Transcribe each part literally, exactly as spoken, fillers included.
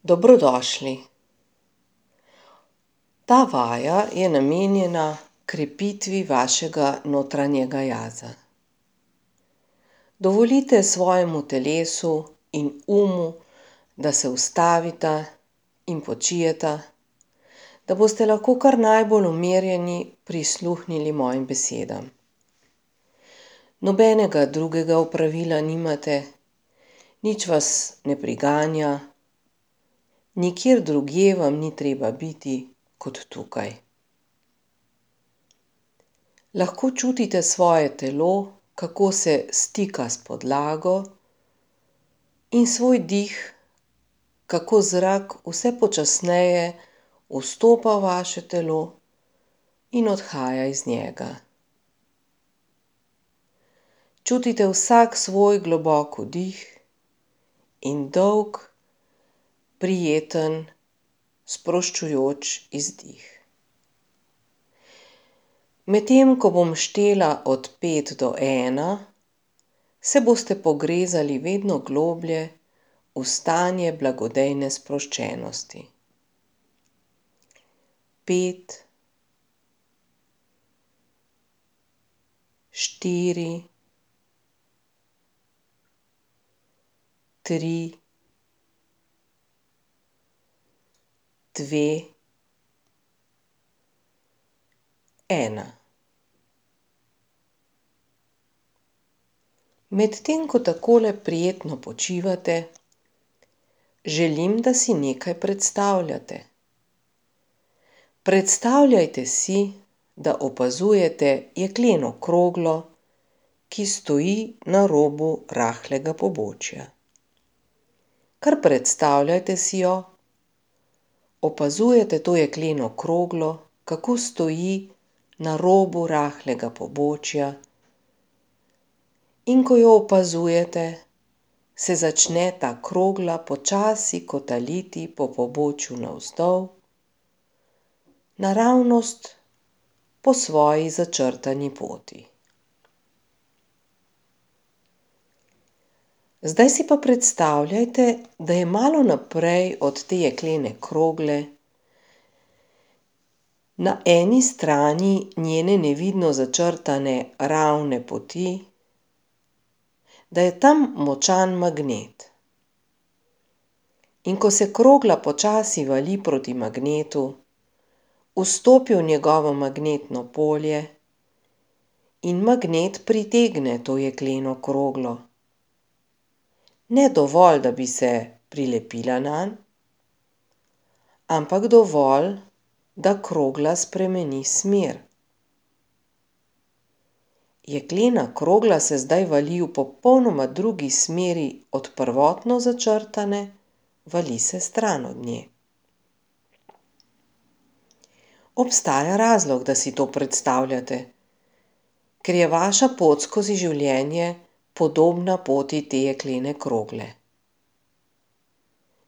Dobrodošli. Ta vaja je namenjena krepitvi vašega notranjega jaza. Dovolite svojemu telesu in umu, da se ustavita in počijeta, da boste lahko kar najbolj umirjeni prisluhnili mojim besedam. Nobenega drugega opravila nimate, nič vas ne priganja, nikjer drugje vam ni treba biti kot tukaj. Lahko čutite svoje telo, kako se stika s podlago, in svoj dih, kako zrak vse počasneje vstopa v vaše telo in odhaja iz njega. Čutite vsak svoj globok vdih in dolg, prijeten, sproščujoč izdih. Medtem ko bom štela od pet do ena, se boste pogrezali vedno globlje v stanje blagodejne sproščenosti. Pet, štiri, tri, dve, ena. Medtem ko takole prijetno počivate, želim, da si nekaj predstavljate. Predstavljajte si, da opazujete jekleno kroglo, ki stoji na robu rahlega pobočja. Kar predstavljajte si jo, opazujete to jekleno kroglo, kako stoji na robu rahlega pobočja, in ko jo opazujete, se začne ta krogla počasi kotaliti po pobočju navzdol, naravnost po svoji začrtani poti. Zdaj si pa predstavljajte, da je malo naprej od te jeklene krogle, na eni strani njene nevidno začrtane ravne poti, da je tam močan magnet. In ko se krogla počasi vali proti magnetu, vstopi v njegovo magnetno polje in magnet pritegne to jekleno kroglo. Ne dovolj, da bi se prilepila nanj, ampak dovolj, da krogla spremeni smer. Jeklena krogla se zdaj vali v popolnoma drugi smeri od prvotno začrtane, vali se stran od nje. Obstaja razlog, da si to predstavljate, ker je vaša pot skozi življenje podobna poti te jeklene krogle.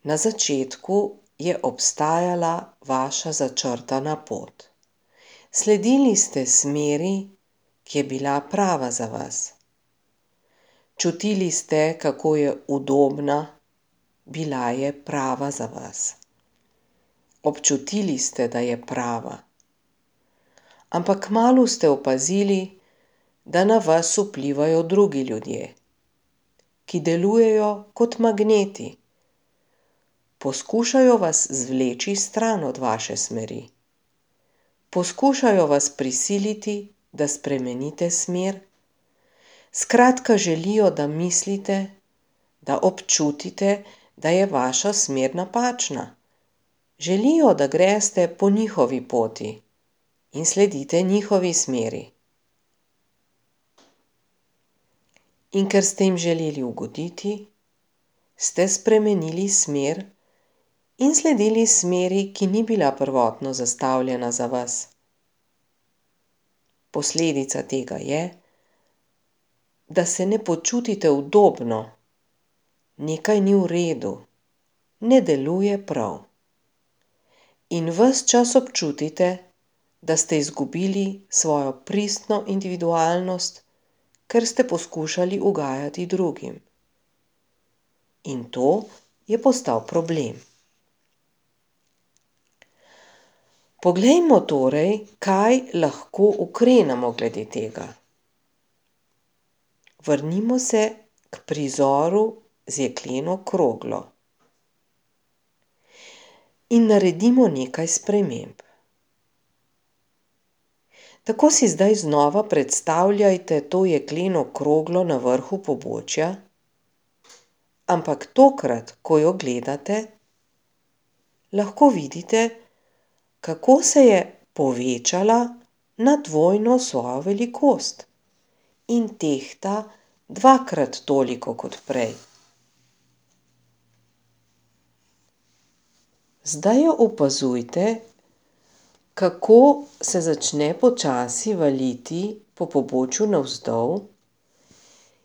Na začetku je obstajala vaša začrtana pot. Sledili ste smeri, ki je bila prava za vas. Čutili ste, kako je udobna, bila je prava za vas. Občutili ste, da je prava. Ampak kmalu ste opazili, da na vas vplivajo drugi ljudje, ki delujejo kot magneti. Poskušajo vas zvleči stran od vaše smeri. Poskušajo vas prisiliti, da spremenite smer. Skratka, želijo, da mislite, da občutite, da je vaša smer napačna. Želijo, da greste po njihovi poti in sledite njihovi smeri. In ker ste jim želeli ugoditi, ste spremenili smer in sledili smeri, ki ni bila prvotno zastavljena za vas. Posledica tega je, da se ne počutite udobno, nekaj ni v redu, ne deluje prav. In ves čas občutite, da ste izgubili svojo pristno individualnost, ker ste poskušali ugajati drugim. In to je postal problem. Poglejmo torej, kaj lahko ukrenemo glede tega. Vrnimo se k prizoru z jekleno kroglo in naredimo nekaj sprememb. Tako si zdaj znova predstavljajte to jekleno kroglo na vrhu pobočja, ampak tokrat, ko jo gledate, lahko vidite, kako se je povečala na dvojno svojo velikost in tehta dvakrat toliko kot prej. Zdaj jo opazujte, kako se začne počasi valiti po pobočju navzdol,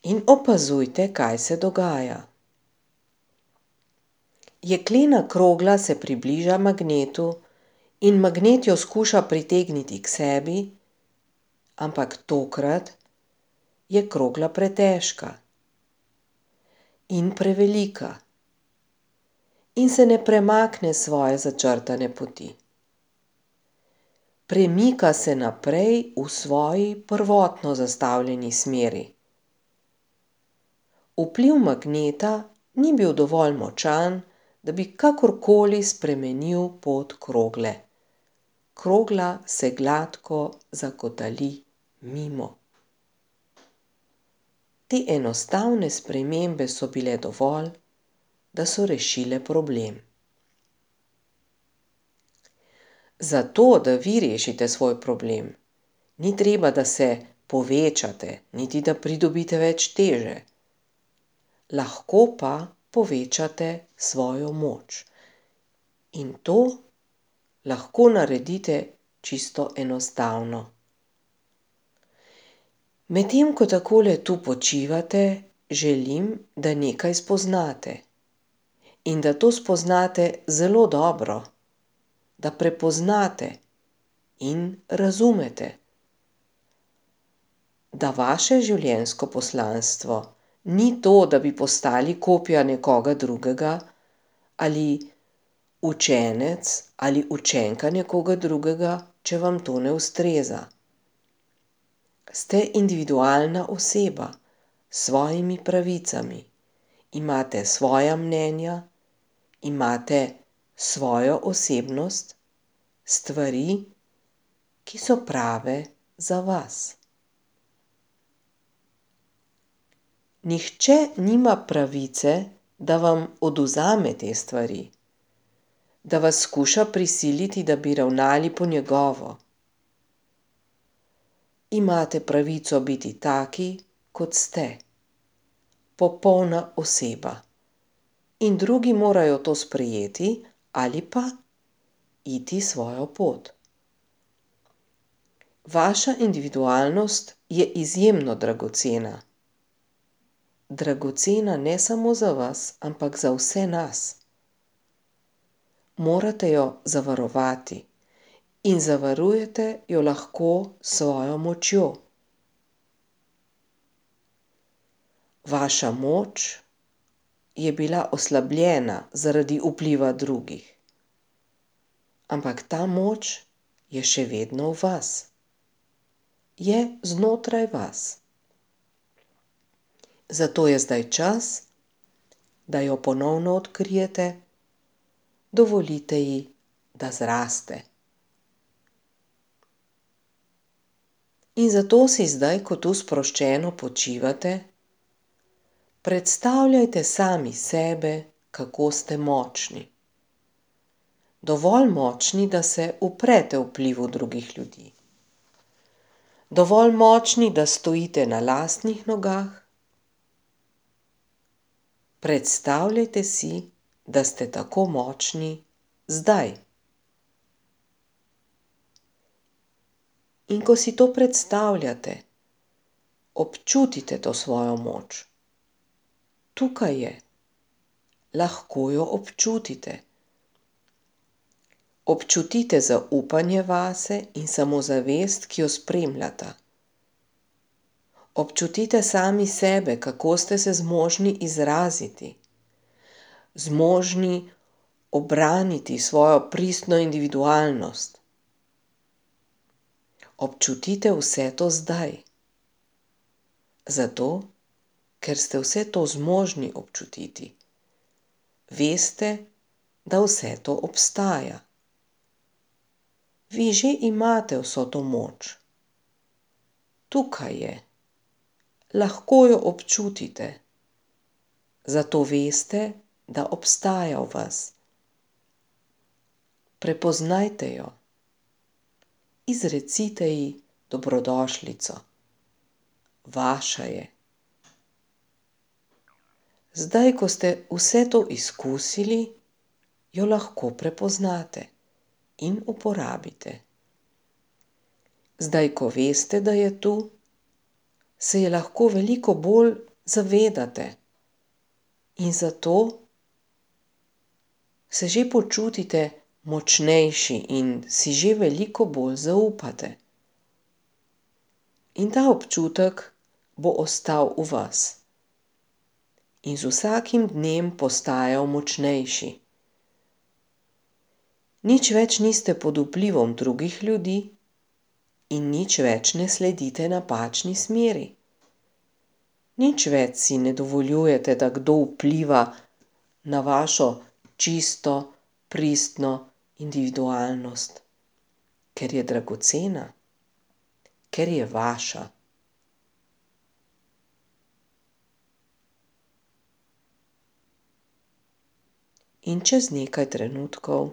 in opazujte, kaj se dogaja. Jeklena krogla se približa magnetu in magnet jo skuša pritegniti k sebi, ampak tokrat je krogla pretežka in prevelika in se ne premakne s svoje začrtane poti. Premika se naprej v svoji prvotno zastavljeni smeri. Vpliv magneta ni bil dovolj močan, da bi kakorkoli spremenil pot krogle. Krogla se gladko zakotali mimo. Te enostavne spremembe so bile dovolj, da so rešile problem. Zato, da vi rešite svoj problem, ni treba, da se povečate, niti da pridobite več teže. Lahko pa povečate svojo moč. In to lahko naredite čisto enostavno. Medtem ko takole tu počivate, želim, da nekaj spoznate. In da to spoznate zelo dobro. Da prepoznate in razumete, da vaše življenjsko poslanstvo ni to, da bi postali kopija nekoga drugega ali učenec ali učenka nekoga drugega, če vam to ne ustreza. Ste individualna oseba s svojimi pravicami, imate svoja mnenja, imate svojo osebnost, stvari, ki so prave za vas. Nihče nima pravice, da vam odvzame te stvari, da vas skuša prisiliti, da bi ravnali po njegovo. Imate pravico biti taki, kot ste, popolna oseba. In drugi morajo to sprejeti ali pa iti svojo pot. Vaša individualnost je izjemno dragocena. Dragocena ne samo za vas, ampak za vse nas. Morate jo zavarovati in zavarujete jo lahko s svojo močjo. Vaša moč je bila oslabljena zaradi vpliva drugih. Ampak ta moč je še vedno v vas. Je znotraj vas. Zato je zdaj čas, da jo ponovno odkrijete, dovolite ji, da zraste. In zato si zdaj, ko tu sproščeno počivate, predstavljajte sami sebe, kako ste močni. Dovolj močni, da se uprete vplivu drugih ljudi. Dovolj močni, da stojite na lastnih nogah. Predstavljajte si, da ste tako močni zdaj. In ko si to predstavljate, občutite to svojo moč. Tukaj je. Lahko jo občutite. Občutite zaupanje vase in samozavest, ki jo spremljata. Občutite sami sebe, kako ste se zmožni izraziti, zmožni obraniti svojo pristno individualnost, občutite vse to zdaj. Zato, ker ste vse to zmožni občutiti. Veste, da vse to obstaja. Vi že imate vso to moč. Tukaj je. Lahko jo občutite. Zato veste, da obstaja v vas. Prepoznajte jo. Izrecite ji dobrodošlico. Vaša je. Zdaj, ko ste vse to izkusili, jo lahko prepoznate in uporabite. Zdaj, ko veste, da je tu, se je lahko veliko bolj zavedate in zato se že počutite močnejši in si že veliko bolj zaupate. In ta občutek bo ostal v vas. In z vsakim dnem postajal močnejši. Nič več niste pod vplivom drugih ljudi in nič več ne sledite napačni smeri. Nič več si ne dovoljujete, da kdo vpliva na vašo čisto, pristno individualnost, ker je dragocena, ker je vaša. In čez nekaj trenutkov,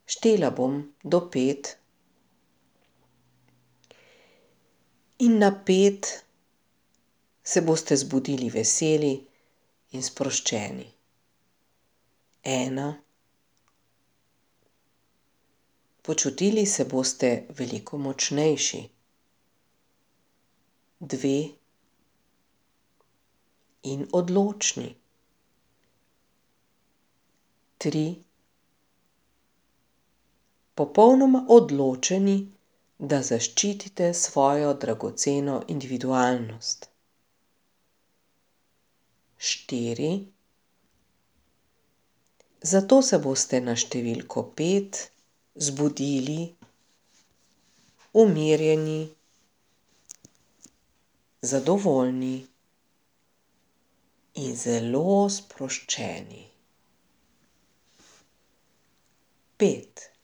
štela bom do pet, in na pet se boste zbudili veseli in sproščeni. Ena. Počutili se boste veliko močnejši. Dve. In odločni. Tri. Popolnoma odločeni, da zaščitite svojo dragoceno individualnost. Štiri. Zato se boste na številko pet zbudili umirjeni, zadovoljni in zelo sproščeni. Pet.